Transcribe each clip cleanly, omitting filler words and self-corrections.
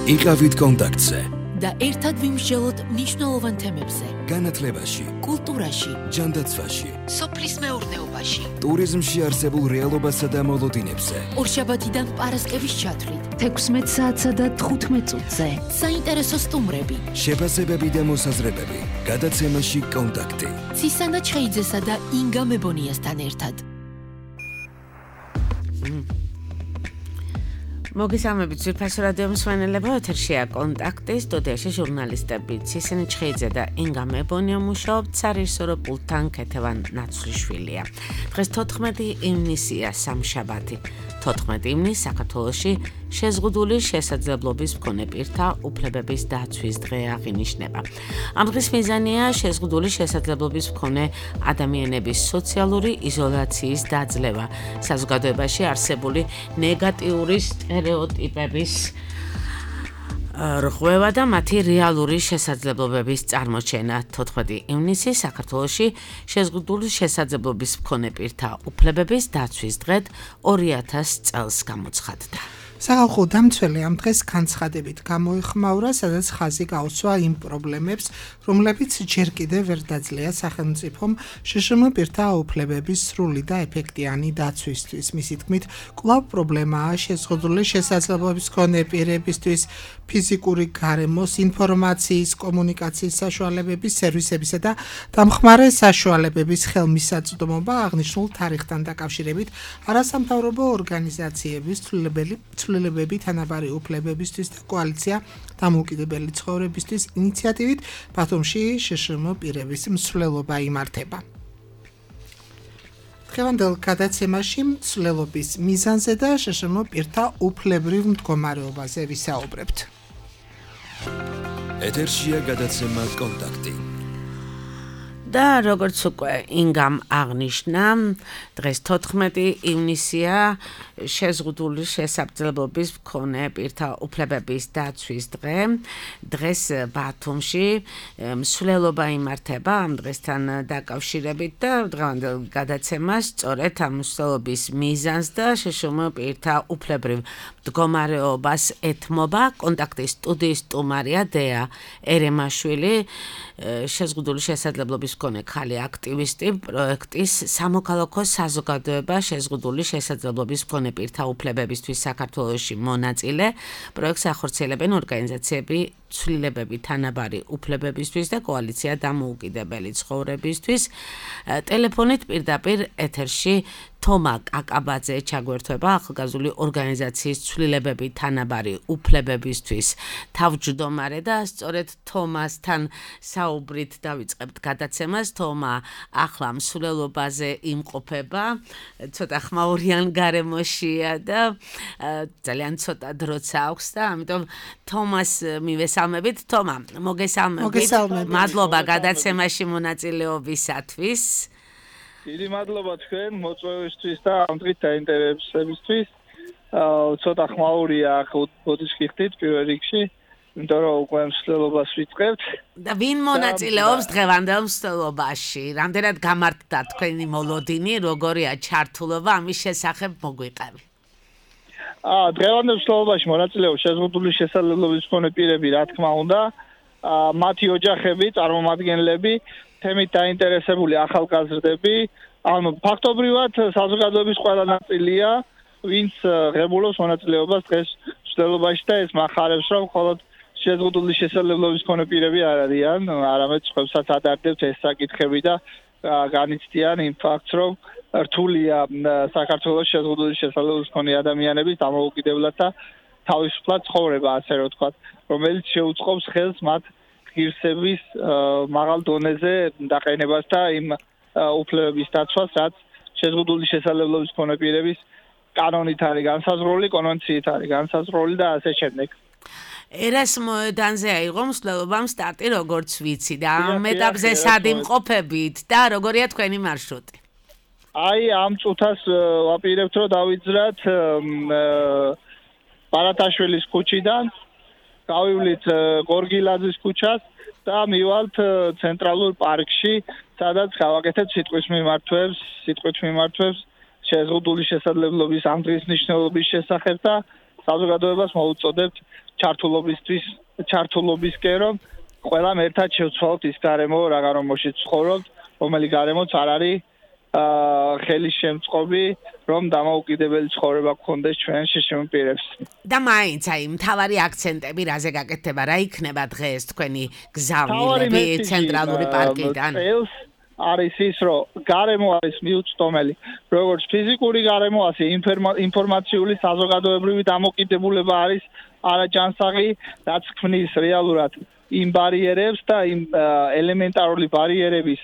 იყავით კონტაქტზე და ერთად ვიმსჯელოთ მნიშვნელოვან თემებზე. განათლებაში, კულტურაში, ჯანდაცვაში, სოფლის მეურნეობაში, ტურიზმში არსებულ რეალობასა და მოლოდინებზე. ორშაბათიდან პარასკევის ჩათვლით, 16 საათსა და 15 წუთზე. საინტერესო სტუმრები, შეფასებები და მოსაზრებები. გადაცემაში კონტაქტი. ცისანა ჩხეიძესა და ინგა მებონიასთან ერთად. მოგესალმებით ძვირფასო რადიო მსმენელებო, ეთერშია კონტაქტი, სტუდიაში ჟურნალისტები ცისანა ჩხეიძე და ინგა მებონია მუშაობთ, სარეჟისორო პულტთან ქეთევან ნაცვლიშვილია. დღეს 14 ივნისია, სამშაბათი. 14 ივნისი საქართველოში შეზღუდული შესაძლებლობის მქონე პირთა უფლებების დაცვის დღე აღინიშნება. ამ დღის მიზანია შეზღუდული შესაძლებლობის მქონე ადამიანების სოციალური იზოლაციის დაძლევა, საზოგადოებაში არსებული ნეგატიური სტერეოტიპების რღვევა და მათი რეალური შესაძლებლობების წარმოჩენა. 14 ივნისი საქართველოში შეზღუდული შესაძლებლობის მქონე პირთა უფლებების დაცვის დღედ 2000 წელს გამოცხადდა. სახალხო დამცველი ამ დღეს განცხადებით გამოიხმაურა, სადაც ხაზი გაუსვა იმ პრობლემებს, რომლებიც ჯერ კიდევ ვერ დაძლია სახელმწიფომ შშმ პირთა უფლებების სრული და ეფექტიანი დაცვისთვის. მისი თქმით, კვლავ პრობლემაა შეზღუდული შესაძლებლობის მქონე პირებისთვის ფიზიკური გარემოს, ინფორმაციის, კომუნიკაციის საშუალებების, სერვისებისა და დამხმარე საშუალებების ხელმისაწვდომობა. აღნიშნულ თარიღთან დაკავშირებით არასამთავრობო ორგანიზაციების ცვლილებები თანაბარი უფლებებისთვის და კოალიცია დამოუკიდებელი ცხოვრებისთვის ინიციატივით ბათუმში შშმ პირების მსვლელობა იმართება. დღევანდელ გადაცემაში მსვლელობის მიზანზე და შშმ პირთა უფლებრივ მდგომარეობაზე ვისაუბრებთ. ეთერშია გადაცემა კონტაქტი. და როგორც უკვე ინგამ აღნიშნა, დღეს 14 ივნისია, შეზღუდული შესაძლებლობის მქონე პირთა უფლებების დაცვის დღე. დღეს ბათუმში მსვლელობა იმართება ამ დღესთან დაკავშირებით და დღევანდელ გადაცემას სწორედ ამ მსვლელობის მიზანს და შშმ პირთა უფლებრივ მდგომარეობას ეთმობა. კონტაქტის სტუდიის სტუმარია დეა ერემაშვილი, შეზღუდული შესაძლებლობის მქონე ხალი აქტივისტი, პროექტის სამოქალაქო საზოგადოება შეზღუდული შესაძლებლობის მქონე პირთა უფლებებისთვის საქართველოში მონაწილე. პროექტს ახორციელებენ ორგანიზაციები ცვლილებები თანაბარი უფლებებისთვის და კოალიცია დამოუკიდებელი ცხოვრებისთვის. ტელეფონით პირდაპირ ეთერში თომა კაკაბაძე ჩაგვერთვება, ახალგაზრდული ორგანიზაციის ცვლილებები თანაბარი უფლებებისთვის თავმჯდომარე და სწორედ თომასთან საუბრით დავიწყებთ გადაცემას. თომა ახლა მსვლელობაზე იმყოფება, ცოტა ხმაურიან გარემოშია და ძალიან ცოტა დროც აქვს და ამიტომ თომას მივესალმებით. თომა, მოგესალმებით. მადლობა გადაცემაში მონაწილეობისათვის. დიდი მადლობა თქვენ მოწვევისთვის და ამ დღით დაინტერესებისთვის. ცოტა ხმაურია ბოდიშკი ხდით პირველ რიგში, იმიტომ რომ უკვე მსვლელობას ვიწყებთ. და ვინ მონაწილეობს დღევანდელ მსვლელობაში? რამდენად გამართდა თქვენი მოლოდინი, როგორია ჩართულობა, ამის შესახებ მოგვიყევი. დღევანდელ მსვლელობაში მონაწილეობს შეზღუდული შესაძლებლობის მქონე პირები, რა თქმა უნდა, მათი ოჯახები, წარმომადგენლები, თემით დაინტერესებული ახალგაზრდები, ანუ ფაქტობრივად საზოგადოების ყველა ნაწილია, ვინც ღებულობს მონაწილეობას დღეს მსვლელობაში და ეს მახარებს, რომ მხოლოდ შეზღუდული შესაძლებლობის მქონე პირები არ არიან, არამედ სხვებსაც ადარდებთ ეს საკითხები და განიცდიან იმ ფაქტს, რომ რთულია საქართველოს შეზღუდული შესაძლებლობის მქონე ადამიანების დამოუკიდებლად და თავისუფლად ცხოვრება, ასე რომ ვთქვათ, რომელიც შეუწყობს ხელს მათ ღირსების მაღალ დონეზე დაყენებას და იმ უფლებების დაცვას, რაც შეზღუდული შესაძლებლობის მქონე პირების კანონით არის განსაზღვრული, კონვენციით არის განსაზღვრული და ასე შემდეგ. ერასმოედანზე აიღო მსვლელობამ სტარტი, როგორც ვიცი და ამ ეტაპზე სად იმყოფებით და როგორია თქვენი მარშრუტი? ამ წუთას ვაპირებთ, რომ დავიძრათ ბარათაშვილის ქუჩიდან, გავივლით გორგილაძის ქუჩას და მივალთ ცენტრალურ პარკში, სადაც გავაკეთეთ სიტყვის მიმართვებს შეზღუდული შესაძლებლობის ამ დღის მნიშვნელობის შესახებ და საზოგადოებას მოუწოდებთ ჩართულობისკენ რომ ყველამ ერთად შევცვალოთ ის გარემო რაღაცომში ცხოვრობთ, რომელი გარემოც არ არის ხელის შემწყობი, რომ დამოუკიდებელი ცხოვრება გქონდეს ჩვენ შშმ პირებს. და მაინც აი მთავარი აქცენტები რაზე გაკეთდება, რა იქნება დღეს თქვენი გზავნილები ცენტრალური პარკიდან? არის ის, რომ გარემო არის მიუწვდომელი, როგორც ფიზიკური გარემო, ასე ინფორმაციული საზოგადოებრივი დამოკიდებულება არის არაჯანსაღი, რაც ქმნის რეალურად იმ ბარიერებს და იმ ელემენტარული ბარიერების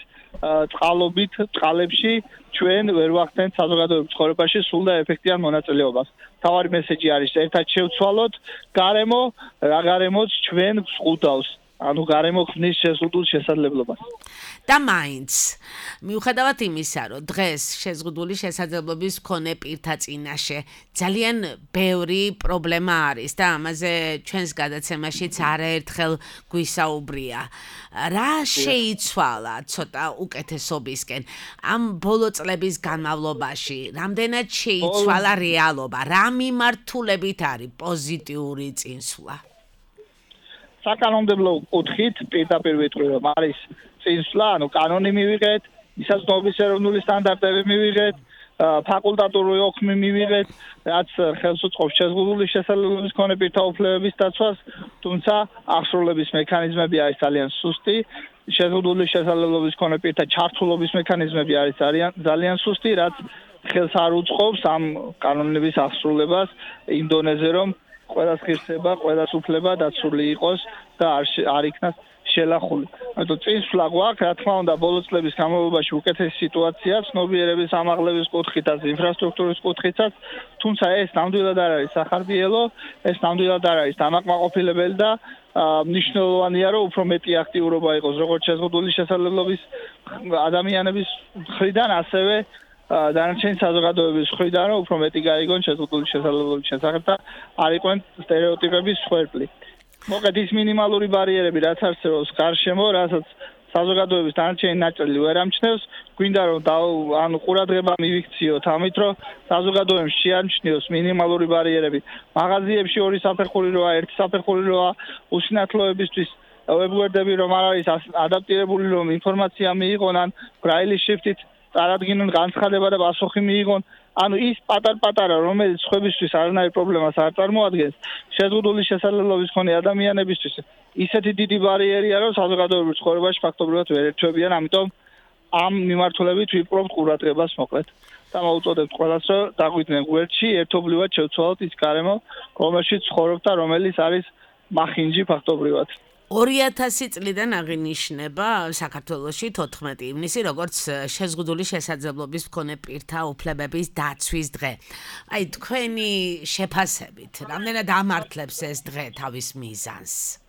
წყალებში ჩვენ ვერ ვახდენთ საზოგადოებრივ ცხოვრებაში სულ და ეფექტიან მონაწილეობას. თავარი მესეჯი არის ერთად შევცვალოთ გარემო, რა გარემოც ჩვენ გვყუდავს. ანუ გარემო ქმნის შეზღუდულ შესაძლებლობას. და მაინც მიუხედავად იმისა, რომ დღეს შეზღუდული შესაძლებლობის მქონე პირთა წინაშე ძალიან ბევრი პრობლემა არის და ამაზე ჩვენს გადაცემაშიც არაერთხელ გვისაუბრია. რა შეიცვალა ცოტა უკეთესობისკენ ამ ბოლო წლების განმავლობაში? რამდენად შეიცვალა რეალობა? რა მიმართულებით არის პოზიტიური წინსვლა? საკანონმდებლო კუთხით პირდაპირ ვიტყვი რომ არის წინსვლა, ანუ კანონი მივიღეთ, მისაზღვრების ეროვნული სტანდარტები მივიღეთ, ფაკულტატური ოქმი მივიღეთ, რაც ხელს უწყობს შეზღუდული შესაძლებლობის მქონე პირთა უფლებების დაცვას, თუმცა აღსრულების მექანიზმები არის ძალიან სუსტი, შეზღუდული შესაძლებლობის მქონე პირთა ჩართულობის მექანიზმები არის ძალიან სუსტი, რაც ხელს არ უწყობს ამ კანონების აღსრულებას იმ დონეზე, რომ ყველას ღირსება, ყველას უფლება დაცული იყოს და არ იქნას შელახული. ანუ წინსვლა გვაქვს, რა თქმა უნდა, ბოლო წლების განმავლობაში უკეთესი სიტუაცია, ცნობიერების ამაღლების კუთხითაც, ინფრასტრუქტურის კუთხითაც, თუმცა ეს ნამდვილად არ არის სახარბიელო, ეს ნამდვილად არ არის დამაკმაყოფილებელი და მნიშვნელოვანია, რომ უფრო მეტი აქტიურობა იყოს როგორც შეზღუდული შესაძლებლობის ადამიანების მხრიდან, ასევე დანარჩენი საზოგადოების მხრიდან, რომ უფრო მეტი გაიგონ შეზღუდული შესაძლებლობის შესახებ და არ იყვნენ სტერეოტიპების მსხვერპლი. მოკლედ ის მინიმალური ბარიერები, რაც არსებობს გარშემო, რასაც საზოგადოების დანარჩენი ნაწილი ვერ ამჩნევს, გვინდა რომ ანუ ყურადღება მივიქციოთ ამით, რომ საზოგადოებას შეამჩნიოს მინიმალური ბარიერები. მაღაზიებში ორი საფეხური როა, ერთი საფეხური როა, უსინათლოებისთვის ვებგვერდები რომ არ არის ადაპტირებული, რომ ინფორმაცია მიიღონ ან ბრაილის შრიფტით წარადგინონ განცხადება და პასუხი მიიღონ. ანუ ის პატარ-პატარა, რომელიც სხვებისთვის არანაირ პრობლემას არ წარმოადგენს, შეზღუდული შესაძლებლობის მქონე ადამიანებისთვის ისეთი დიდი ბარიერია, რომ საზოგადოებრივ ცხოვრებაში ფაქტობრივად ვერ ერთვებიან, ამიტომ ამ მიმართულებით ვიპყრობთ ყურადღებას მოკლედ. და მოვუწოდებთ ყველას, რომ დაგვიდნენ გვერდში, ერთობლივად შევცვალოთ ის გარემო, რომელშიც ცხოვრობთ და რომელიც არის მახინჯი ფაქტობრივად. 2000 წლიდან აღინიშნება საქართველოში 14 ივნისი, როგორც შეზღუდული შესაძლებლობის მქონე პირთა უფლებების დაცვის დღე. აი თქვენი შეფასებით, რამდენად ამართლებს ეს დღე თავის მიზანს?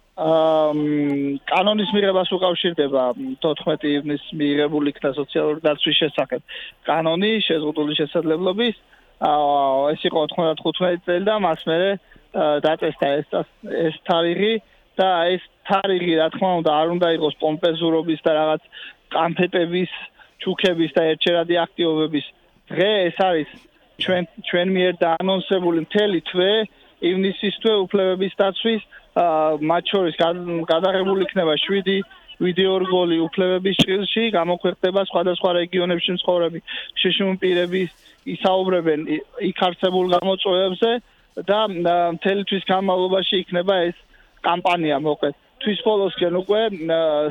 კანონის მიღებას უკავშირდება 14 ივნისს მიღებული იქნა სოციალური დაცვის შესახებ კანონი შეზღუდული შესაძლებლობის. ეს იყო 95 წელი და მას მერე დაწესდა ეს თარიღი და ეს თარიღი, რა თქმა უნდა, არ უნდა იყოს პომპეზურობის და რაღაც კანფეტების, ჩუქების და ერთჩერადი აქტივობების დღე. ეს არის ჩვენ მიერ დაანონსებული მთელი თვე, ივნისის თვე უფლებების დაცვის, მათ შორის გადაღებული იქნება 7 ვიდეო რგოლი უფლებების ჭრილში, გამოქვეყნდება სხვადასხვა რეგიონებში მცხოვრები შშმ პირები ისაუბრებენ იქ არსებულ გამოწვევებზე და მთელი თვის განმავლობაში იქნება ეს კამპანია მოკლედ. თვის ბოლოსკენ უკვე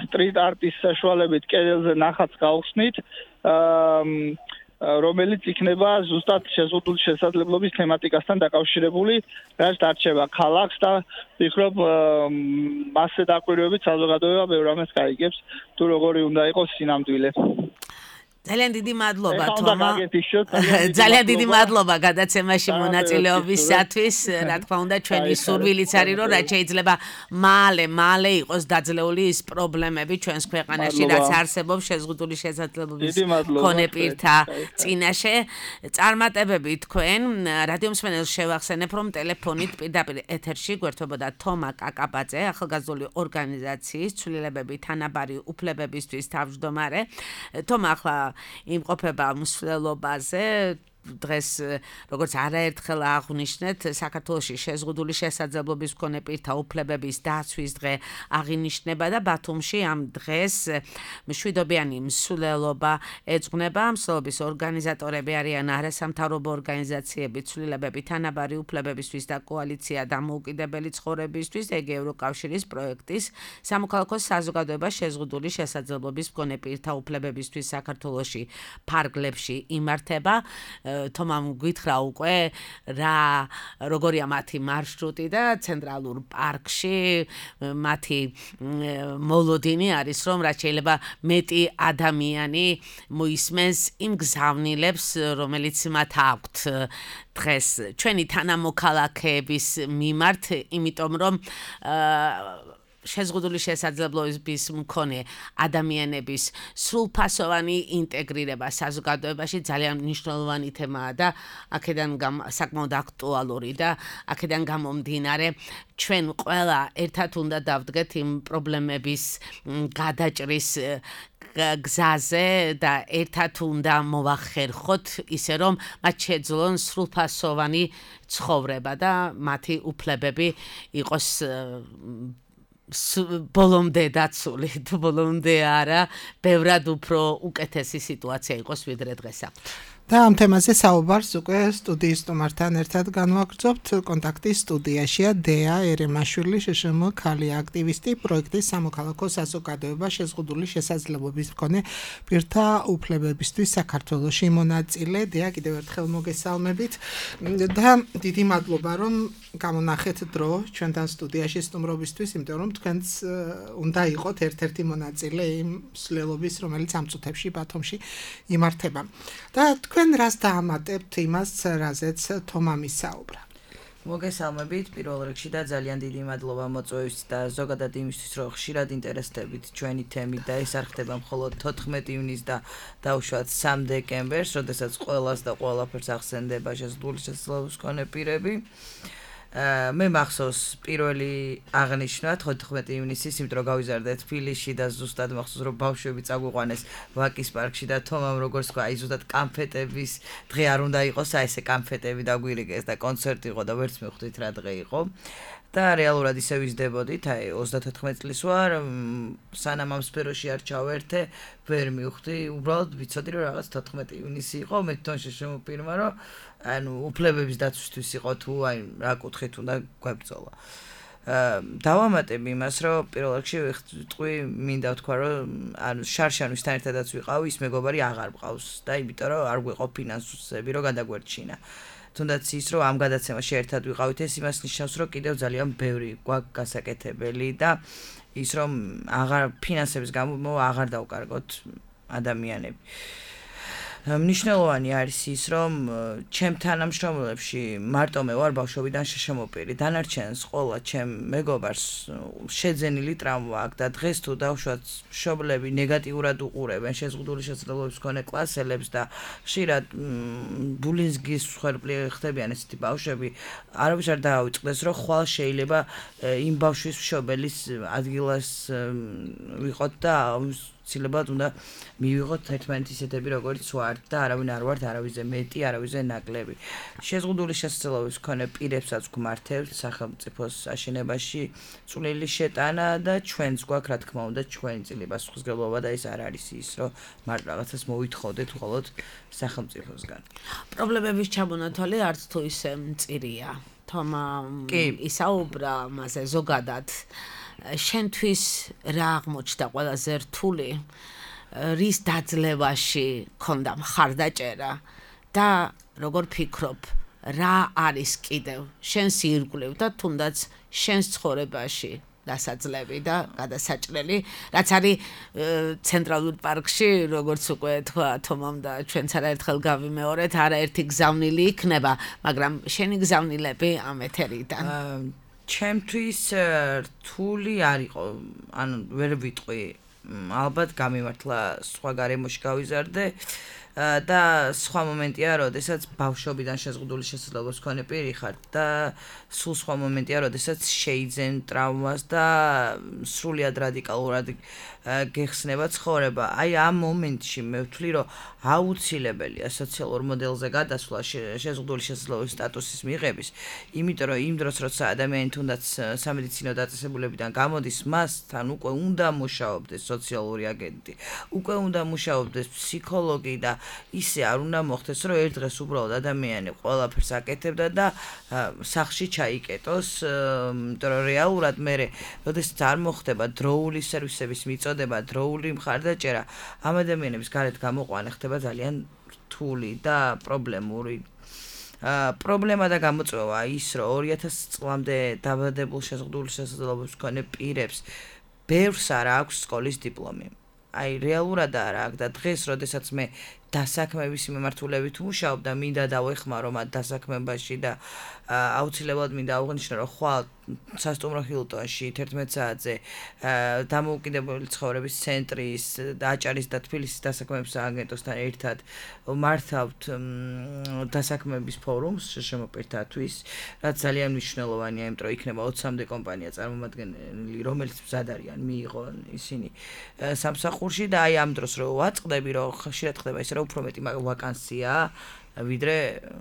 სტრიტ არტის საშუალებით კედელზე ნახატს გავხსნით, რომელიც იქნება ზუსტად შეზღუდული შესაძლებლობის თემატიკასთან დაკავშირებული, რაც დარჩება ქალაქს და ვფიქრობ მასზე დაკვირვებით საზოგადოება ბევრ ამას გაიგებს, თუ როგორი უნდა იყოს სინამდვილე. ძალიან დიდი მადლობა თომა. ძალიან დიდი მადლობა გადაცემაში მონაწილეობისათვის. რა თქმა უნდა, ჩვენი სურვილიც არის, რომ რაც შეიძლება მალე იყოს დაძლეული ის პრობლემები ჩვენს ქვეყანაში, რაც არსებობს შეზღუდული შესაძლებლობის მქონე პირთა წინაშე. წარმატებები თქვენ. რადიო მსმენელს შევახსენებ, რომ ტელეფონით პირდაპირ ეთერში გვერდებოდა თომა კაკაბაძე, ახალგაზრდული ორგანიზაციის ცვლილებები თანაბარი უფლებებისთვის თავმჯდომარე. თომა ახლა იმყოფება მსვლელობაზე, დღეს როგორც არაერთხელ აღვნიშნეთ, საქართველოში შეზღუდული შესაძლებლობის მქონე პირთა უფლებების დაცვის დღე აღინიშნება და ბათუმში ამ დღეს მშვიდობიანი მსვლელობა ეძღვნება. მსვლელობის ორგანიზატორები არიან არასამთავრობო ორგანიზაციები, ცვლილებები თანაბარი უფლებებისთვის და კოალიცია დამოუკიდებელი ცხოვრებისთვის, ეგ ევროკავშირის პროექტის სამოქალაქო საზოგადოება შეზღუდული შესაძლებლობის მქონე პირთა უფლებებისთვის საქართველოში ფარგლებში იმართება. თომამ გითხრა უკვე როგორია მათი მარშრუტი და ცენტრალურ პარკში მათი მოლოდინი არის, რომ რაც შეიძლება მეტი ადამიანი მოისმენს იმ გზავნილებს, რომელიც მათ აქვთ დღეს ჩვენი თანამოქალაქეების მიმართ, იმიტომ რომ შეზღუდული შესაძლებლობის მქონე ადამიანების სრულფასოვანი ინტეგრირება საზოგადოებაში ძალიან მნიშვნელოვანი თემაა და აქედან საკმაოდ აქტუალური და აქედან გამომდინარე ჩვენ ყველა ერთად უნდა დავდგეთ იმ პრობლემების გადაჭრის გზაზე და ერთად უნდა მოვახერხოთ ისე რომ მათ შეძლონ სრულფასოვანი ცხოვრება და მათი უფლებები იყოს ბოლომდე დაცული, ბოლომდე არა, ბევრად უფრო უკეთესი სიტუაცია იყოს ვიდრე დღეს აქვთ. და ამ თემაზე საუბარს უკვე სტუდიის სტუმართან ერთად განვაგრძობთ. კონტაქტის სტუდიაშია დეა ერემაშვილი, შშმ ქალი აქტივისტი, პროექტის სამოქალაქო საზოგადოება შეზღუდული შესაძლებლობის მქონე პირთა უფლებებისთვის საქართველოში მონაწილე. დეა, კიდევ ერთხელ მოგესალმებით და დიდი მადლობა რომ გამონახეთ დრო ჩვენთან სტუდიაში სტუმრობისთვის, იმიტომ რომ თქვენც უნდა იყოთ ერთ-ერთი მონაწილე იმ მსვლელობის, რომელიც ამ წუთებში ბათუმში იმართება. და თქვენ რას დაამატებთ იმას, რაზეც თომამ ისაუბრა? მოგესალმებით პირველ რიგში და ძალიან დიდი მადლობა მოწვევისთვის და ზოგადად იმისთვის, რომ ხშირად ინტერესდებით ჩვენი თემით და ეს არ ხდება მხოლოდ 14 ივნისს და დაუშვათ 3 დეკემბერს, როდესაც ყველას და ყველაფერს ახსენდება შეზღუდული შესაძლებლობის მქონე პირები. მე მახსოვს პირველი აღნიშვნა 14 ივნისის, იმიტომ რომ გავიზარდე თბილისში და ზუსტად მახსოვს რომ ბავშვები წაგვიყვანეს ვაკის პარკში და თომამ როგორც თქვა, აი ზუსტად კანფეტების დღე არ უნდა იყოს, აი ესე კანფეტები დაგვირიგეს და კონცერტი იყო და ვერც მივხვდით რა დღე იყო. და რეალურად ისე ვიზდებოდით, აი 34 წლის ვარ, სანამ ამ სფეროში არ ჩავერთე, ვერ მივხვდი, უბრალოდ ვიცოდი რომ რაღაც 14 ივნისი იყო, მე თვითონ შემოფირმა რომ ანუ უფლებების დაცვისთვის იყო თუ აი რა კუთხით უნდა გვებრძოლა. დავამატებ იმას, რომ პირველ რიგში ვიტყვი, მინდა ვთქვა, რომ ანუ შარშანვისთან ერთადაც ვიყავ, ის მეგობარი აღარ მყავს და იმიტომ რომ არ გვიყო ფინანსები, რომ გადაგვერჩინა. თუნდაც ის რომ ამ გადაცემაში ერთად ვიყავით, ეს იმას ნიშნავს, რომ კიდევ ძალიან ბევრი გვაქვს გასაკეთებელი და ის რომ აღარ ფინანსების გამო აღარ დავკარგოთ ადამიანები. მნიშვნელოვანი არის ის, რომ ჩემ თანამშრომლებში მარტო მე ვარ ბავშვობიდან შემოპირი. დანარჩენს ყველა ჩემ მეგობარს შეძენილი ტრავმა აქვს და დღეს თუ დავშვათ მშობლები ნეგატიურად უყურებენ შეზღუდული შესაძლებლობის მქონე კლასელებს და ხშირად ბულინგის მსხვერპლი ხდებიან ესეთი ბავშვები, არავის არ დაავიწყდეს, რომ ხვალ შეიძლება იმ ბავშვის მშობელის ადგილას ვიყოთ და ცდილობად უნდა მივიღოთ ერთმანეთის ისეთები, როგორც ვართ და არავინ არ ვართ არავიზე მეტი, არავიზე ნაკლები. შეზღუდული შესაძლებლობის მქონე პირებსაც გვმართებთ სახელმწიფოს აშენებაში წვლილი შეტანა და ჩვენც გვაქვს, რა თქმა უნდა, ჩვენი წილი პასუხისმგებლობა და ეს არ არის ის, რომ მარტო რაღაცას მოვითხოვდეთ მხოლოდ სახელმწიფოსგან. პრობლემების ჩამონათვალი არც თუ ისე მწირია. თომა ისაუბრა მასე ზოგადად შენთვის რა აღმოჩნდა ყველაზე რთული, რის დაძლევაში ქონდა მხარდაჭერა და როგორ ფიქრობ, რა არის კიდევ შენს ირგვლივ და თუნდაც შენს ცხოვრებაში დასაძლევი და გადასაჭრელი, რაც არის ცენტრალურ პარკში, როგორც უკვე თქვა თომამ და ჩვენც არაერთხელ გავიმეორეთ, არაერთი გზავნილი იქნება, მაგრამ შენი გზავნილები ამ ეთერიდან. ჩემთვის რთული არ იყო, ანუ ვერ ვიტყვი, ალბათ გამიმართლა სხვა გარემოში გავიზარდე, და სხვა მომენტია, როდესაც ბავშვობიდან შეზღუდული შესაძლებლობის მქონე პირი ხარ და სულ სხვა მომენტია, როდესაც შეიძენ ტრავმას და სრულიად რადიკალურად გეხსნება ცხოვრება. Აი ამ მომენტში მე ვთვლი, რომ აუცილებელია სოციალურ მოდელზე გადასვლა შეზღუდული შესაძლებლობის სტატუსის მიღების, იმიტომ რომ იმ დროს, როცა ადამიანი თუნდაც სამედიცინო დაწესებულებიდან გამოდის, მასთან უკვე უნდა მუშაობდეს სოციალური აგენტი, უკვე უნდა მუშაობდეს ფსიქოლოგი და ისე არ უნდა მოხდეს, რომ ერთ დღეს უბრალოდ ადამიანი ყველაფერს აკეთებდა და სახლში ჩაიკეტოს, იმიტომ რომ რეალურად მე როდესაც არ მოხდება დროული სერვისების მიწოდება, დროული მხარდაჭერა, ამ ადამიანების გარეთ გამოყვანა ხდება ძალიან რთული და პრობლემური. პრობლემა და გამოწვევა ის, რომ 2000 წლამდე დაბადებულ შეზღუდული შესაძლებლობის მქონე პირებს ბევრს არ აქვს სკოლის დიპლომი. Აი რეალურად არ აქვს და დღეს, როდესაც მე დასაქმების მიმართულებით ვმუშაობ და მინდა დავეხმარო მათ დასაქმებაში და აუცილებლად მინდა აღვნიშნო, რომ ხვალ სასტუმრო ჰილტონში 11 საათზე დამოუკიდებელი ცხოვრების ცენტრის აჭარის და თბილისის დასაქმების სააგენტოსთან ერთად მართავთ დასაქმების ფორუმს შემოპირთათვის, რაც ძალიან მნიშვნელოვანია, იმიტომ რომ იქნება 20-მდე კომპანია წარმომადგენელი, რომელიც მზად არიან მიიღონ ისინი სამსახურში და აი ამ დროს რო ვაწყდები, რომ ხშირად ხდება ისე, რომ უფრო მეტი ვაკანსია ვიდრე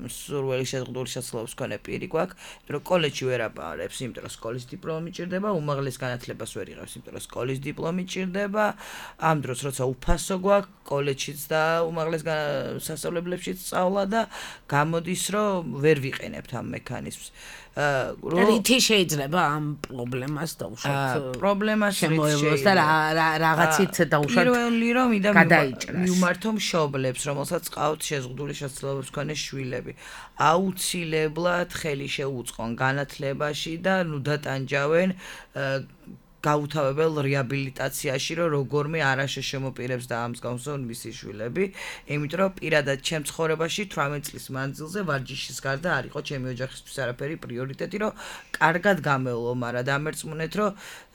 სურველი შეზღუდული შესაძლებლობის მქონე პირი გვაქვს, რომ კოლეჯში ვერ აბარებს, იმიტომ რომ სკოლის დიპლომი ჭირდება, უმაღლეს განათლებას ვერ იღებს, იმიტომ რომ სკოლის დიპლომი ჭირდება, ამ დროს როცა უფასო გვაქვს, კოლეჯშიც და უმაღლეს სასწავლებლებშიც სწავლა და გამოდის, რომ ვერ ვიყენებთ ამ მექანიზმს. რითი შეიძლება ამ პრობლემას დაუშვათ? პრობლემას შემოევლოს და რაღაცით დაუშვათ. პირველი რომ მივმართო მშობლებს, რომელსაც ყავთ შეზღუდული შესაძლებლობის მქონე შვილები. აუცილებლად ხელი შეუწყონ განათლებაში და დატანჯავენ გაუთავებელ რეაბილიტაციაში, რომ როგორმე არაშე შემოპირებს და ამ მსგავსონ მისი შვილები, იმიტომ რომ პირადად ჩემ ცხოვრებაში 18 წლის მანძილზე ვარჯიშის გარდა არ იყო ჩემი ოჯახისთვის არაფერი პრიორიტეტი, რომ კარგად გამევლო, მაგრამ დამერწმუნეთ, რომ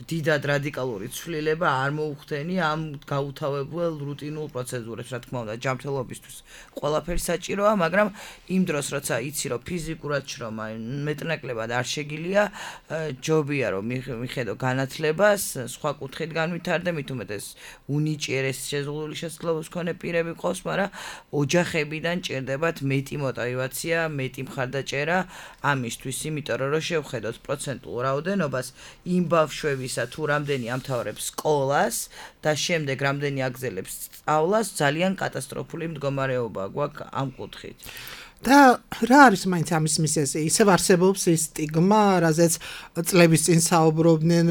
დიდად რადიკალური ცვლილება არ მოუხდენი ამ გაუთავებელ რუტინულ პროცედურებს, რა თქმა უნდა, ჯანმრთელობისთვის ყველაფერი საჭიროა, მაგრამ იმ დროს, როცა იცი, რომ ფიზიკურად შრომა მეტნაკლებად არ შეგიძლია, ჯობია რომ მიხედო განათლება სხვა კუთხით განვითარდე, მით უმეტეს უნიჭიერეს შეზღუდული შესაძლებლობის მქონე პირები ყავს, მაგრამ ოჯახებიდან ჭირდებათ მეტი мотиваცია, მეტი მხარდაჭერა ამისთვის, იმიტომ რომ შევხედოთ პროცენტულ რაოდენობას იმ ბავშვებისა, თუ რამდენი ამთავრებს სკოლას და შემდეგ რამდენი აგზელებს სწავლას, ძალიან კატასტროფული მდგომარეობა გვაქვს ამ კუთხით. და რა არის მაინც ამის მიზეზი? ისევ არსებობს ის სტიგმა, რაზეც წლების წინ საუბრობდნენ,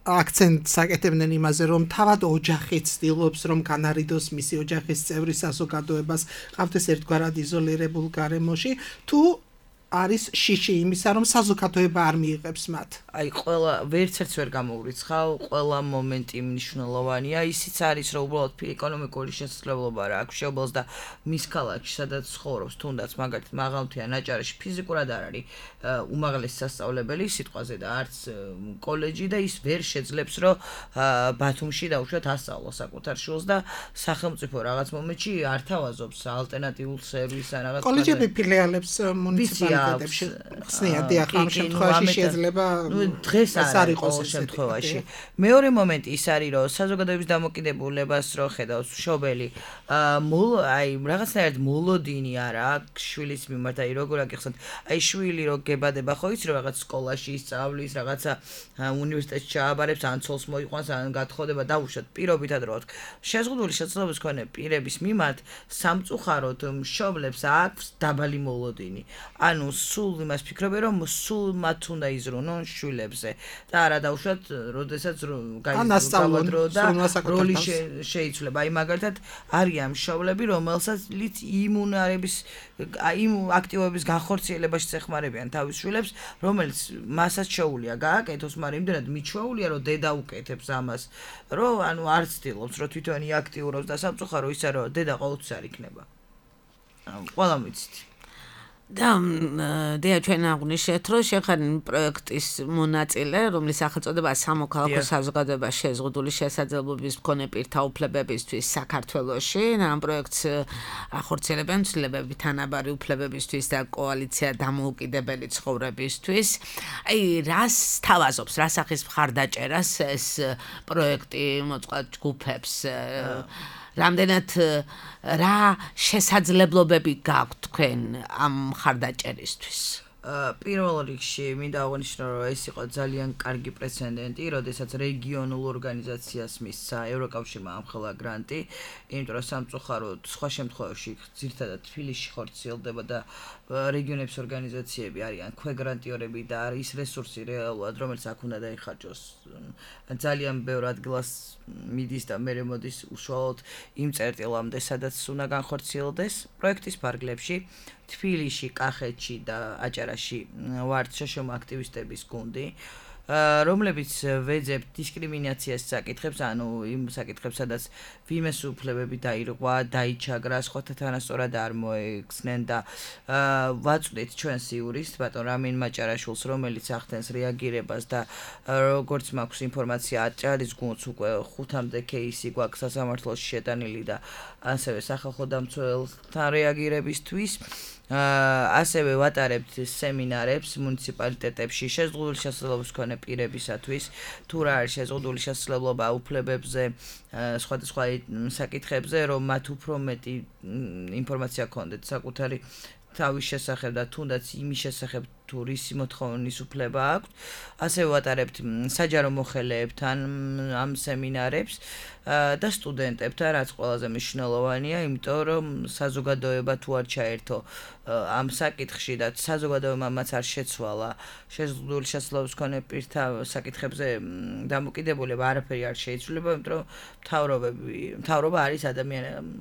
აქცენტს აკეთებდნენ იმაზე, რომ თავად ოჯახი ცდილობს, რომ განარიდოს მისი ოჯახის წევრი საზოგადოებას, ყავდეს ერთგვარად იზოლირებულ გარემოში, თუ არის შიში იმისა, რომ საზოგადოება არ მიიღებს მათ. აი, ყველა ვერცერთს ვერ გამოვრიცხავ, ყველა მომენტი მნიშვნელოვანია. ისიც არის, რომ უბრალოდ ეკონომიკური შესაძლებლობა რა აქვს შეუბოლს და მის ქალაქში, სადაც ცხოვრობს, თუნდაც მაგალითად მაღალმთიან აჭარაში ფიზიკურად არ არის უმაღლესი სასწავლებელი სიტყვაზე და არც კოლეჯი და ის ვერ შეძლებს, რომ ბათუმში დაუშვათ ასწავლოს საკუთარ შვილს და სახელმწიფო რაღაც მომენტში არ თავაზობს ალტერნატიულ სერვისს ან რაღაც კოლეჯები ფილიალებს მუნიციპალიტეტებში ხსნიან, დიახ, ამ შემთხვევაში შეიძლება დღეს არ იყოს შემთხვევაში. მეორე მომენტი ის არის, რომ საზოგადოების დამოკიდებულებას რო ხედავს მშობელი, აი რაღაცნაირად მოლოდინი არა აქვს შვილის მიმართ, აი როგორ აგიხსნათ, აი შვილი რო გებადება, ხო იცი რომ რაღაც სკოლაში ისწავლის, რაღაცა უნივერსიტეტში ჩააბარებს, ან ცოლს მოიყვანს, ან გათხოვდება, დაუშვათ პირობითად რო ვთქ. შეზღუდული შესაძლებლობის მქონე პირების მიმართ სამწუხაროდ მშობლებს აქვს დაბალი მოლოდინი. ანუ სულ იმას ფიქრობენ, რომ სულ მათ უნდა იზრუნონ შვილებზე და არა დაუშვათ, როდესაც გაიზრდონ და როლი შეიცვლება. აი მაგალითად არიან მშობლები, რომელსაც იმუნარების იმ აქტივობების განხორციელებაში ეხმარებიან თავის შვილებს, რომელიც მასაც შეუულია გააკეთოს, მაგრამ იმდენად მიჩვეულია, რომ დედა უკეთებს ამას, რომ ანუ არ ცდილობს, რომ თვითონ იაქტიუროს და სამწუხარო ისე, რომ დედა ყოველთვის არ იქნება. ყველამ ვიცით. და დია ჩვენ აღვნიშნეთ, რომ შეხარინ პროექტის მონაწილე, რომლის სახელწოდებაა სამოქალაქო საზოგადოება შეზღუდული შესაძლებლობის მქონე პირთა უფლებებისთვის საქართველოში. ამ პროექტს ახორციელებენ ცვლილებები თანაბარი უფლებებისთვის და კოალიცია დამოუკიდებელი ცხოვრებისთვის. აი, რას თავაზობს, რა სახის მხარდაჭერას ეს პროექტი მოწყობილ ჯგუფებს რამდენად რა შესაძლებლობები გაქვთ თქვენ ამ მხარდაჭერისთვის? პირველ რიგში მინდა აღვნიშნო, რომ ეს იყო ძალიან კარგი პრეცედენტი, როდესაც რეგიონულ ორგანიზაციას მისცა ევროკავშირმა ამხელა გრანტი, იმიტომ რომ სამწუხაროდ სხვა შემთხვევაში ძირითადად თბილისში ხორციელდება და რეგიონების ორგანიზაციები არიან ქვეგრანტიორები და არის რესურსი რეალურად, რომელიც აქ უნდა დაიხარჯოს. ძალიან ბევრ ადგილას მიდის და მერე მოდის უშუალოდ იმ წერტილამდე, სადაც უნდა განხორციელდეს პროექტის ფარგლებში. თბილისში, კახეთში და აჭარაში ვართ შშმ აქტივისტების გუნდი, რომლებიც ვეძებთ დისკრიმინაციას საკითხებს, ანუ იმ საკითხებს, სადაც ვინმეს უფლებები დაირღვა, დაიჩაგრა, სხვათა თანასწორად არ მოეხსნენ და ვაწვდით ჩვენს იურისტს, ბატონ რამინ მაჭარაშვილს, რომელიც ახდენს რეაგირებას და როგორც მაქვს ინფორმაცია, აჭარის გუნდს უკვე 5-მდე кейსი გვაქვს სასამართლოში შეტანილი და ასევე სახალხო დამცველთა რეაგირებისთვის. ასევე ვატარებთ სემინარებს მუნიციპალიტეტებში შეზღუდული შესაძლებლობის მქონე პირებისათვის, თუ რა არის შეზღუდული შესაძლებლობა უფლებებზე, სხვადასხვა საკითხებზე, რომ მათ უფრო მეტი ინფორმაცია ჰქონდეთ საკუთარი თავის შესახებ და თუნდაც იმის შესახებ თუ რისი მოთხოვნის უფლება აქვთ. ასევე ვატარებთ საჯარო მოხელეებთან ამ სემინარებს და სტუდენტებთან, რაც ყველაზე მნიშვნელოვანია, იმიტომ რომ საზოგადოება თუ არ ჩაერთო ამ საკითხში და საზოგადოებამ მათ არ შეცვალა შეზღუდული შესაძლებლობის მქონე პირთა საკითხებზე დამოკიდებულება არაფერი არ შეიცვლება, იმიტომ რომ მთავრობა არის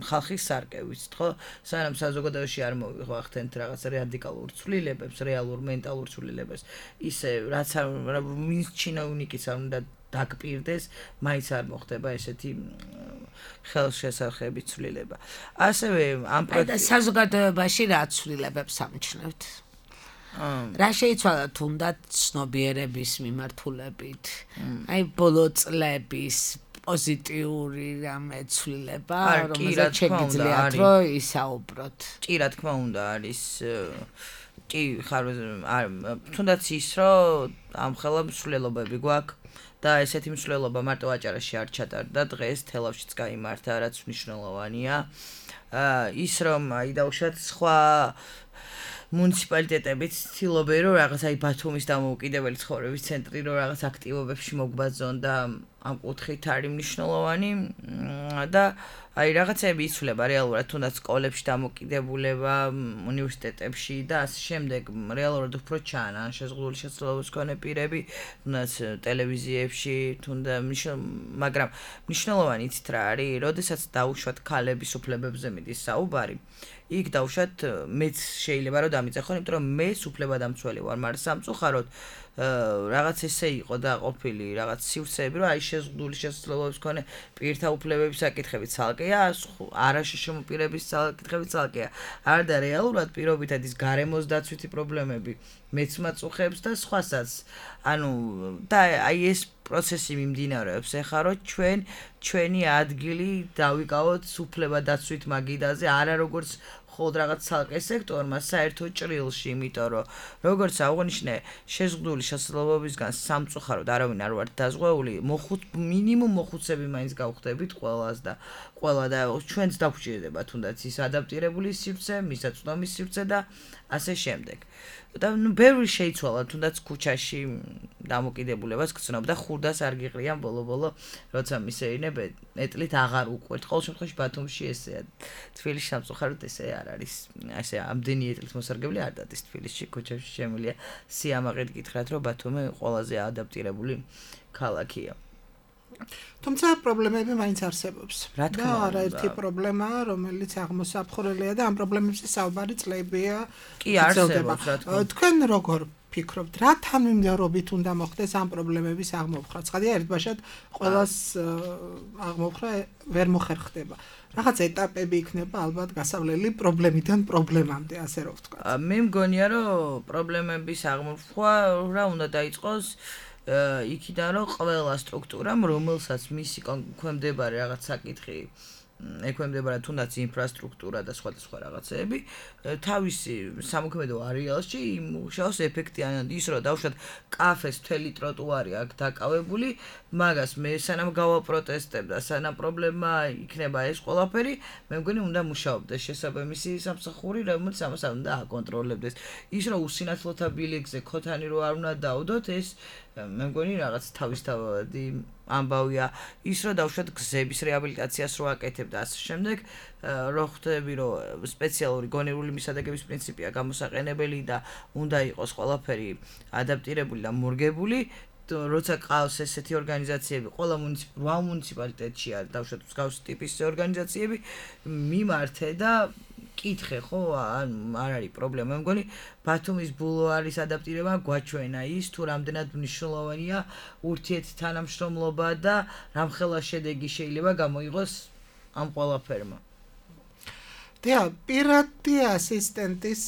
ხალხის სარკე, ვიცით ხო? სანამ საზოგადოებაში არ მოვიხახდენთ რაღაც რადიკალურ ცვლილებებს, რეალურ მენტალურ ცვლილებებს, ისე რაც ვინც ჩინოვნიკიც არ უნდა დაგპირდეს, მაინც არ მოხდება ესეთი ხელშესახები ცვლილება. ასევე ამ პროექტის საზოგადოებაში რა ცვლილებებს ამჩნევთ? რა შეიცვალა თუნდაც ცნობიერების მიმართულებით? აი ბოლო წლების პოზიტიური რამე ცვლილება, რომელზეც შეგიძლიათ რომ ისაუბროთ? კი, რა თქმა უნდა, არის კი ხარ თუნდაც ის რომ ამხელა მსვლელობები გვაქვს და ესეთი მსვლელობა მარტო აჭარაში არ ჩატარდა, დღეს თელავშიც გაიმართა, რაც მნიშვნელოვანია. ის რომ აი დავუშვათ სხვა მუნიციპალიტეტებიც ცდილობენ რომ რაღაც აი ბათუმის დამოუკიდებელი ცხოვრების ცენტრი რომ რაღაც აქტივობებში მოგვბაძონ და ამ კუთხით არის მნიშვნელოვანი და აი რაღაცები იცვლება რეალურად თუნდაც სკოლებში დამოკიდებულება უნივერსიტეტებში და ასე შემდეგ რეალურად უფრო ჩანან შეზღუდული შესაძლებლობის მქონე პირები თუნდაც ტელევიზიებში მაგრამ მნიშვნელოვანი იცით რა არის როდესაც დაუშვათ ქალების უფლებებზე მიდის საუბარი იქ დავუშვათ მეც შეიძლება რომ დამიწეხონ იმიტომ რომ მე უფლებადამცველი ვარ მაგრამ სამწუხაროდ რაღაც ესე იყო და ყოფილი რაღაც სივრცეები რომ აი შეზღუდული შესაძლებლობის მქონე პირთა უფლებების საკითხები ცალკეა არაშშმ პირების საკითხები ცალკეა არ და რეალურად პირობითად ის გარემოს დაცვითი პრობლემები მეც მაწუხებს და სხვასაც ანუ და აი ეს პროცესი მიმდინარეობს ეხლა რომ ჩვენი ადგილი დავიკავოთ უფლებადაცვით მაგიდაზე არა როგორც ხოლმე რაღაც ცალკე სექტორმა საერთო ჭრილში, იმიტომ რომ როგორც აღვნიშნე, შეზღუდული შესაძლებლობისგან სამწუხაროდ არავინ არ ვართ დაზღვეული, მინიმუმ მოხუცები მაინც გავხდებით ყველას და ყველა და ჩვენც დაგვჭირდება თუნდაც ის ადაპტირებული სივრცე, მისაწვდომის სივრცე და ასე შემდეგ. და ბევრი შეიცვალა თუნდაც ქუჩაში დამოკიდებულებას გწნობდა ხურდას არ გიყრიან ბოლო-ბოლო როცა მისეირნებ ეტლით აღარ უყვერთ ყოველ შემთხვევაში ბათუმში ესეა თბილისში სამწუხაროდ ესე არ არის ასე ამდენი ეტლით მოსარგებლე არ დადის თბილისში ქუჩაში შემილია სიამაყედ გითხრათ რომ ბათუმი ყველაზე ადაპტირებული ქალაქია თუმცა პრობლემები მაინც არსებობს. რა თქმა უნდა. არაერთი პრობლემაა, რომელიც აღმოსაფხვრელია და ამ პრობლემებზე საუბარი წლებია. კი არსებობს, რა თქმა უნდა. თქვენ როგორ ფიქრობთ, რა თანმიმდევრობით უნდა მოხდეს ამ პრობლემების აღმოფხვრა? ცხადია, ერთბაშად ყველას აღმოფხვრა ვერ მოხერხდება. რაღაც ეტაპები იქნება ალბათ გასავლელი პრობლემიდან პრობლემამდე, ასე რომ ვთქვა. მე მგონია, რომ პრობლემების აღმოფხვრა რა უნდა დაიწყოს იქიდან, რომ ყველა სტრუქტურამ, რომელსაც მისი ქვემდებარე რაღაც საკითხი ექვემდებარა თუნდაც ინფრასტრუქტურა და სხვა რაღაცეები, თავისი სამოქმედო არეალში იმუშაოს ეფექტიანად, ის რომ დავუშვათ კაფეს მთელი ტროტუარი აქ დაკავებული, მაგას მე სანამ გავაპროტესტებ და სანამ პრობლემა იქნება ეს ყველაფერი, მე მგონი უნდა მუშაობდეს შესაბამისი სამსახური, რომელიც ამას უნდა აკონტროლებდეს. ის რომ უსინათლოთა ბილიკზე ქოთანი რო არ უნდა დაუდოთ, ეს მე მგონი რაღაც თავისთავადი ამბავია. ის რომ დავუშვათ გზების რეაბილიტაციას რო აკეთებ და ასე შემდეგ, რო ხვდები რომ სპეციალური გონივრული მისადაგების პრინციპია გამოსაყენებელი და უნდა იყოს ყველაფერი ადაპტირებული და მორგებული, როცა ყავს ესეთი ორგანიზაციები, ყველა მუნიციპალიტეტშია დავუშვათ მსგავსი ტიპის ორგანიზაციები, მიმართე და კითხე, ხო, არ არის პრობლემა. მე მგონი ბათუმის ბულვარის ადაპტირება გვაჩვენა ის, თუ რამდენად მნიშვნელოვანია ურთიერთთანამშრომლობა და რამხელა შედეგი შეიძლება გამოიღოს ამ ყველაფერმა. პირადი ასისტენტის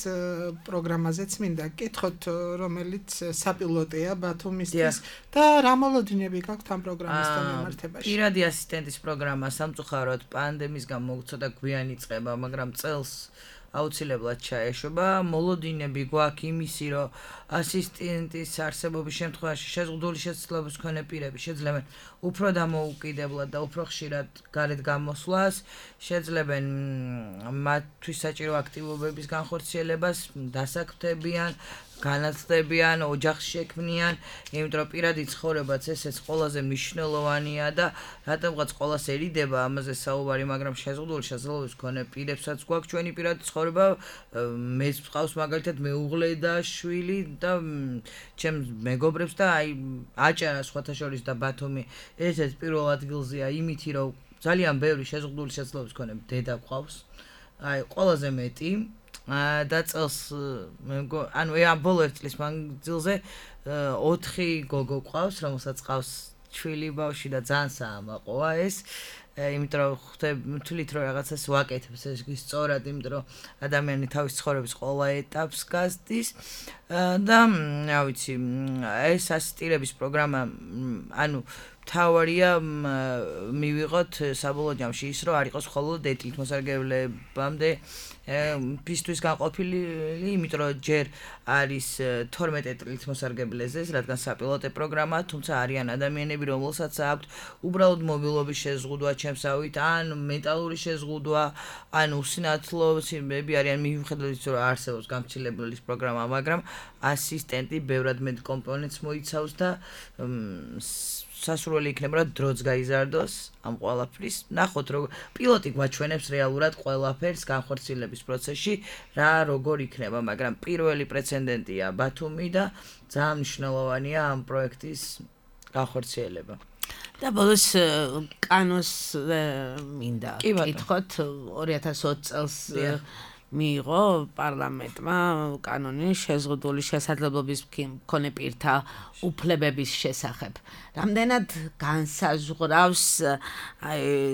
პროგრამაზეც მინდა გკითხოთ, რომელიც საპილოტია ბათუმისთვის და რა მოლოდინები გაქვთ ამ პროგრამასთან მიმართებაში? პირადი ასისტენტის პროგრამა სამწუხაროდ პანდემიის გამო ცოტა გვიანი იწყება, მაგრამ წელს აუცილებლად ჩაეშვება. მოლოდინები გვაქვს იმისი, რომ ასისტენტის არსებობის შემთხვევაში შეზღუდული შესაძლებლობის მქონე პირები შეძლებენ უფრო დამოუკიდებლად და უფრო ხშირად გარეთ გამოსვლას, შეძლებენ მათთვის საჭირო აქტივობების განხორციელებას, დასაქმდებიან, განათლებიან, ოჯახს შექმნიან, იმიტომ რომ პირადი ცხოვრებაც ესეც ყველაზე მნიშვნელოვანია და რატომღაც ყველასერიდება ამაზე საუბარი, მაგრამ შეზღუდული შესაძლებლობის მქონე პირებსაც გვაქვს ჩვენი პირადი ცხოვრება, მეც ვყავს მაგალითად მეუღლე და შვილი და ჩემს მეგობრებს და აი აჭარა სხვათა შორის და ბათუმი ესეც პირველ ადგილზეა იმითი, რომ ძალიან ბევრი შეზღუდული შესაძლებლობის მქონე დედა გვყავს, აი ყველაზე მეტი და წელს ანუ ამ ბოლო ერთ წლის მანძილზე 4 გოგო ყავს, რომელსაც ყავს შვილი ბავშვი და ძალიან საამაყოა ეს. იმიტომ რომ თვლით რომ რაღაცას ვაკეთებს ეს სწორად, იმიტომ რომ ადამიანი თავის ცხოვრების ყველა ეტაპს გასდის და რა ვიცი, ეს ასისტირების პროგრამა, ანუ თავარია მივიღოთ საბოლოო ჯამში ის რომ არ იყოს მხოლოდ ეთილმოსარგებლებამდე ფისთვის განყოფილი, იმიტომ რომ ჯერ არის 12 ეთილმოსარგებლეზე, რადგან საპილოტე პროგრამა, თუმცა არიან ადამიანები, რომელსაც აქვთ უბრალოდ მობილობის შეზღუდვა ჩემსავით, ან მენტალური შეზღუდვა, ან უსინათლოები არიან მიუხედავად იმისა, რომ არსებობს გამცილებლის პროგრამა, მაგრამ ასისტენტი ბევრად მეტ კომპონენტს მოიცავს და სასურველი იქნება რომ დროც გაიზარდოს ამ ყველაფრის. ნახოთ რომ პილოტი გვაჩვენებს რეალურად ყველაფერს განხორციელების პროცესში რა როგორ იქნება, მაგრამ პირველი პრეცედენტია ბათუმი და ძალიან მნიშვნელოვანია ამ პროექტის განხორციელება. და ბოლოს კანონს მინდა კითხოთ 2020 წელს მიიღო პარლამენტმა კანონი შეზღუდული შესაძლებლობის მქონე პირთა უფლებების შესახებ. რამდენად განსაზღვრავს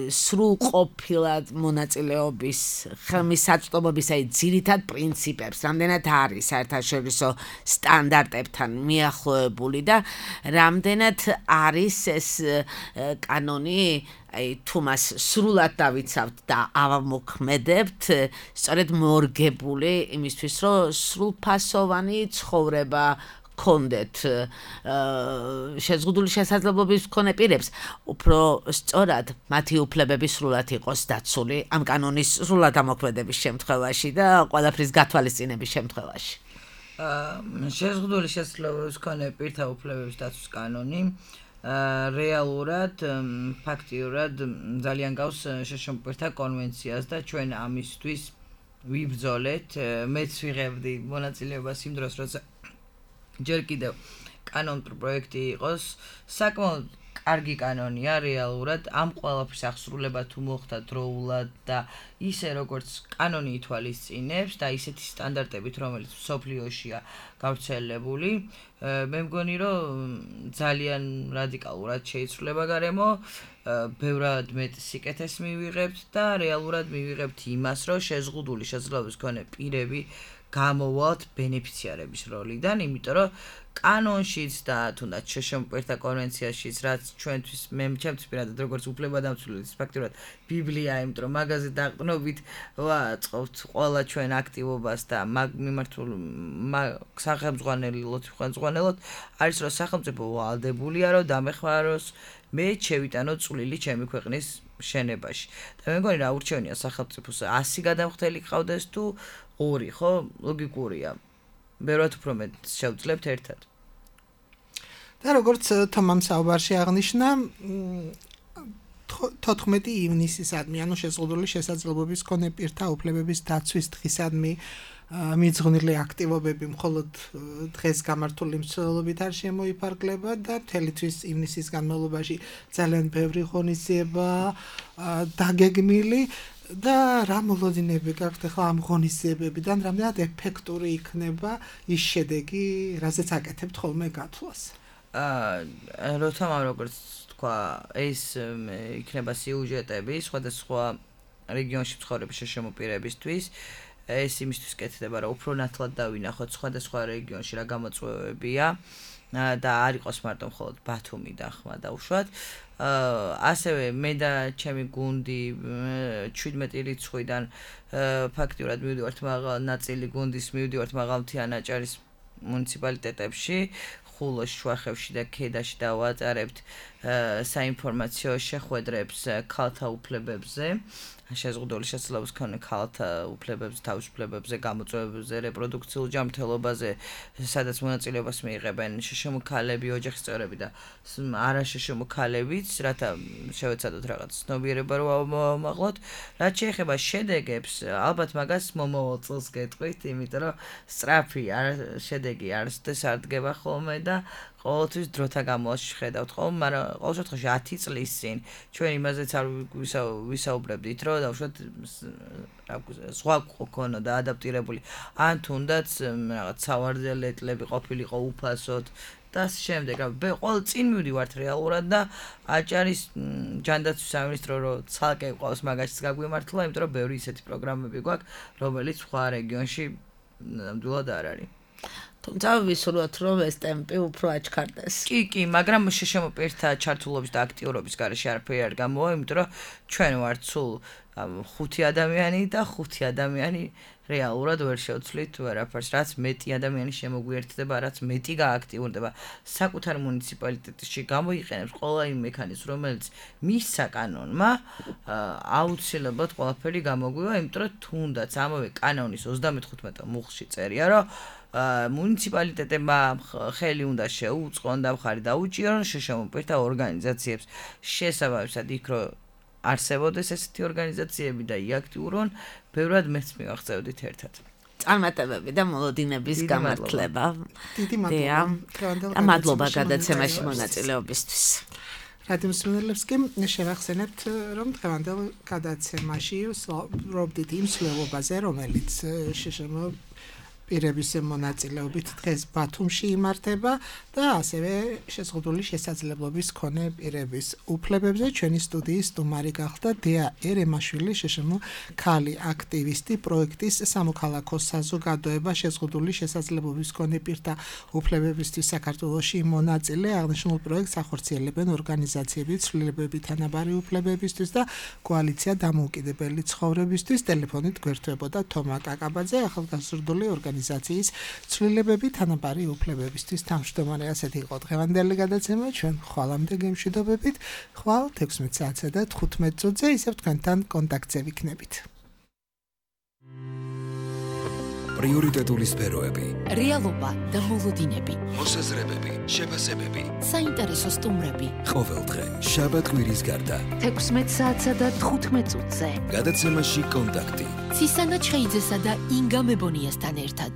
სრულყოფილად მონაწილეობის ხელმისაწვდომობის ძირითად პრინციპებს, რამდენად არის საერთაშორისო სტანდარტებთან მიახლოებული და რამდენად არის ეს კანონი თუ მას სრულად დავიცავთ და ავამოქმედებთ, სწორედ მორგებული იმისთვის, რომ სრულფასოვანი ცხოვრება გქონდეთ შეზღუდული შესაძლებლობის მქონე პირებს, უფრო სწორად მათი უფლებები სრულად იყოს დაცული ამ კანონის სრულად ამოქმედების შემთხვევაში და ყველაფრის გათვალისწინების შემთხვევაში. შეზღუდული შესაძლებლობის მქონე პირთა უფლებების დაცვის კანონი რეალურად, ფაქტიურად ძალიან გავს შშმპ-თა კონვენციას და ჩვენ ამისთვის ვიბრძოლეთ. მეც ვიღებდი მონაწილეობას იმ დროს, როცა ჯერ კიდევ კანონ პროექტი იყოს საკმაოდ კარგი კანონია რეალურად ამ ყველაფრის აღსრულება თუ მოხდა დროულად და ისე როგორც კანონი ითვალისწინებს და ისეთი სტანდარტებით რომელიც სოფლიოშია გავრცელებული მე მგონი რომ ძალიან რადიკალურად შეიცვლება გარემო ბევრად მეტ სიკეთეს მივიღებთ და რეალურად მივიღებთ იმას რომ შეზღუდული შესაძლებლობის მქონე პირები გამოვალთ ბენეფიციარების როლიდან, იმიტომ რომ კანონშიც და თუნდაც შეშმპირთა კონვენციაშიც რაც ჩვენთვის ჩემთვის პირადად როგორც უფლებადამცველის ფაქტურად ბიბლია, იმიტომ რომ მაგაზე დაყრდნობით ვაწყობთ ყველა ჩვენ აქტივობას და მაგ მიმართულ სახელმძღვანელოთ არის რომ სახელმწიფო ვალდებულია რომ დამეხმაროს მე შევიტანო წვლილი ჩემი ქვეყნის შენებაში. და მე მგონი რა ურჩევნია სახელმწიფოს 100 გადამხდელი ყავდეს თუ 2, ხო? ლოგიკურია. ბევრად უფრო მეტ შევძლებთ ერთად. და როგორც თომამ საუბარში აღნიშნა 14 ივნისისადმი, ანუ შეზღუდული შესაძლებლობის მქონე პირთა უფლებების დაცვის დღისადმი მიძღვნილი აქტივობები მხოლოდ დღეს გამართული მსვლელობით არ შემოიფარგლება და მთელი თვის ივნისის განმავლობაში ძალიან ბევრი ღონისძიება დაგეგმილი და რა მოლოდინები გაქვთ ახლა ამ ღონისძიებებიდან, რამდენად ეფექტური იქნება ის შედეგი, რაზეც აკეთებთ ხოლმე გათვლას. როთამ როგორც თქვა, ეს იქნება სიუჟეტები სხვადასხვა რეგიონში მცხოვრები შემოპირებისთვის. ეს იმისთვის კეთდება, რომ უფრო ნათლად დავინახოთ სხვადასხვა რეგიონში რა გამოწვევებია და არ იყოს მარტო მხოლოდ ბათუმი და ხმა დაუშვათ. ასევე მე და ჩემი გუნდი 17 რიცხვიდან ფაქტიურად მივდივართ მაღალ ნაწილი გუნდის მივდივართ მაღალმთიან აჭარის მუნიციპალიტეტებში, ხულოში, შუახევში და ქედაში დავატარებთ საინფორმაციო შეხვედრებს ქალთა უფლებებზე. შეზღუდული შესაძლებლობის მქონე ქალთა უფლებებზე, თავისუფლებებზე, გამოწვევებზე, რეპროდუქციულ ჯანმრთელობაზე, სადაც მონაწილეობას მიიღებენ შშმ-ქალები, ოჯახის წევრები და არა შშმ-ქალებიც, რათა შევეცადოთ რაღაც ცნობიერება რომ ავმაღლოთ. რაც შეეხება შედეგებს, ალბათ მაგას მომავალ წელს გეტყვით, იმიტომ რომ სწრაფი შედეგი არასოდეს არ დგება ხოლმე და ყოველთვის დროთა განმავლობაში ხედავთ ხოლმე, მაგრამ ყოველ შემთხვევაში 10 წლის წინ ჩვენ იმაზეც არ ვისაუბრებდით, რომ დავუშვათ სხვა გქონოდა ადაპტირებული, ან თუნდაც რაღაც სავარძელებლები ყოფილიყო უფასოდ და შემდეგ ყოველ წინ მივდივართ რეალურად და აჭარის ჯანდაცვის სამინისტრო რო ცალკე ყავს მაგაშიც გაგვიმართლა, იმიტომ რომ ბევრი ისეთი პროგრამები გვაქვს, რომელიც სხვა რეგიონში ნამდვილად არ არის. თუმცა ვისურვოთ რომ ეს ტემპი უფრო აჩქარდეს. კი, მაგრამ შემოპირთა ჩართულობის და აქტიურობის გარეშე არაფერი არ გამოვა, იმიტომ რომ ჩვენ ვართ სულ 5 ადამიანი და 5 ადამიანი რეალურად ვერ შევცვლით ვერაფერს, რაც მეტი ადამიანი შემოგვიერთდება, რაც მეტი გააქტიურდება საკუთარ მუნიციპალიტეტში გამოიყენებს ყველა იმ მექანიზმს, რომელიც მისცა კანონმა, აუცილებლად ყველაფერი გამოგვივა, იმიტომ რომ თუნდაც ამავე კანონის 35 მუხლში წერია, რომ მუნიციპალიტეტებმა ხელი უნდა შეუწყონ და მხარი დაუჭირონ შემოპირთა ორგანიზაციებს შესაბამისად იქ რომ არსებობდეს ესეთი ორგანიზაციები და იაქტიურონ, ბევრად მეც მივაღწევდით ერთად. წარმატებები და მოლოდინების გამართლება. დიდი მადლობა. მადლობა გადაცემაში მონაწილეობისთვის. რადიო მსმენელებს კი შევახსენებთ, რომ დღევანდელ გადაცემაში ვსაუბრობდით იმ მსვლელობაზე, რომელიც შშმ პირების მონაწილეობით დღეს ბათუმში იმართება და ასევე შეზღუდული შესაძლებლობის მქონე პირების უფლებებზე. ჩვენი სტუდიის სტუმარი გახდა დეა ერემაშვილი, შშმ ქალი აქტივისტი, პროექტის სამოქალაქო საზოგადოება შეზღუდული შესაძლებლობის მქონე პირთა უფლებებისთვის საქართველოში მონაწილე. აღნიშნულ პროექტს ახორციელებენ ორგანიზაციები ცვლილებები თანაბარი უფლებებისთვის და კოალიცია დამოუკიდებელი ცხოვრებისთვის. ტელეფონით გვერდებოდა თომა კაკაბაძე, ახალგაზრდული ორგანიზაციის ცვლილებები თანაბარი უფლებებისთვის თავმჯდომარე. ასეთი იყო დღევანდელი გადაცემა. ჩვენ ხვალამდე გემშვიდობებით. ხვალ 16 საათსა და 15 წუთზე ისევ თქვენთან კონტაქტზე ვიქნებით. პრიორიტეტული სფეროები, რეალობა და მოლოდინები, მოსაზრებები, შეფასებები, საინტერესო სტუმრები. ყოველდღე შაბათ-კვირის გარდა 16 საათსა და 15 წუთზე. გადაცემაში კონტაქტი. ცისანა ჩხეიძესა და ინგა მებონიასთან ერთად.